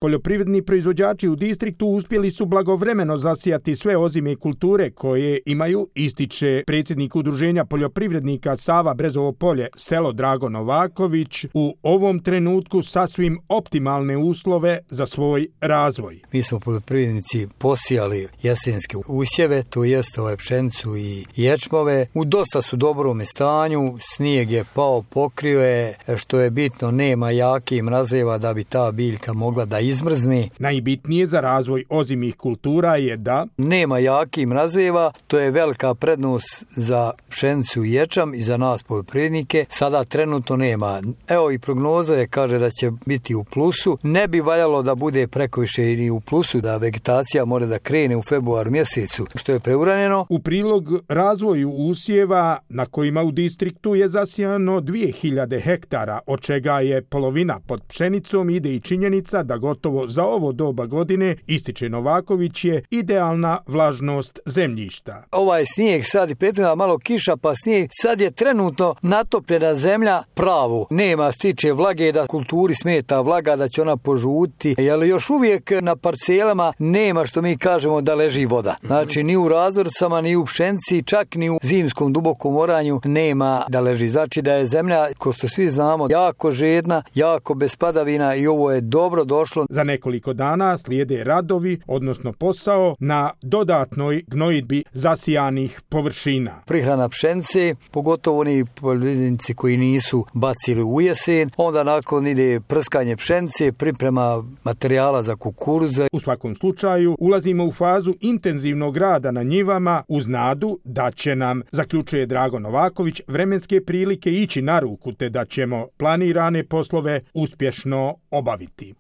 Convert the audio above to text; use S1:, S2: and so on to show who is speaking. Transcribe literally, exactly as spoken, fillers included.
S1: Poljoprivredni proizvođači u distriktu uspjeli su blagovremeno zasijati sve ozime kulture koje imaju, ističe predsjednik udruženja poljoprivrednika Sava Brezovo polje, selo Drago Novaković, u ovom trenutku sasvim optimalne uslove za svoj razvoj.
S2: Mi smo poljoprivrednici posijali jesenske usjeve, to jest ove pšenicu i ječmove. U dosta su dobrom stanju, snijeg je pao, pokrio je, što je bitno, nema jakih mrazeva da bi ta biljka mogla da izmrzni.
S1: Najbitnije za razvoj ozimih kultura je da
S2: nema jakih mrazeva, to je velika prednost za pšenicu i ječam i za nas poljoprivrednike. Sada trenutno nema. Evo i prognoza je, kaže da će biti u plusu. Ne bi valjalo da bude prekoviše ni u plusu, da vegetacija mora da krene u februar mjesecu, što je preuranjeno.
S1: U prilog razvoju usjeva na kojima u distriktu je zasijano dvije hiljade hektara, od čega je polovina pod pšenicom, ide i činjenica da gotovo za ovo doba godine, ističe Novaković, je idealna vlažnost zemljišta.
S2: Ovaj snijeg sad i prethodna malo kiša, pa snijeg sad je trenutno natopljena zemlja pravu. Nema stiče vlage, da kulturi smeta vlaga, da će ona požuti, jer još uvijek na parcelama nema, što mi kažemo, da leži voda. Znači ni u razorcama, ni u pšenici, čak ni u zimskom dubokom oranju nema da leži. Znači da je zemlja, ko što svi znamo, jako žedna, jako bez padavina i ovo je dobro došlo.
S1: Za nekoliko dana slijede radovi, odnosno posao na dodatnoj gnojidbi zasijanih površina.
S2: Prihrana pšenice, pogotovo oni poljoprivrednici koji nisu bacili u jesen, onda nakon ide prskanje pšenice, priprema materijala za kukuruze.
S1: U svakom slučaju ulazimo u fazu intenzivnog rada na njivama uz nadu da će nam, zaključuje Drago Novaković, vremenske prilike ići na ruku te da ćemo planirane poslove uspješno obaviti.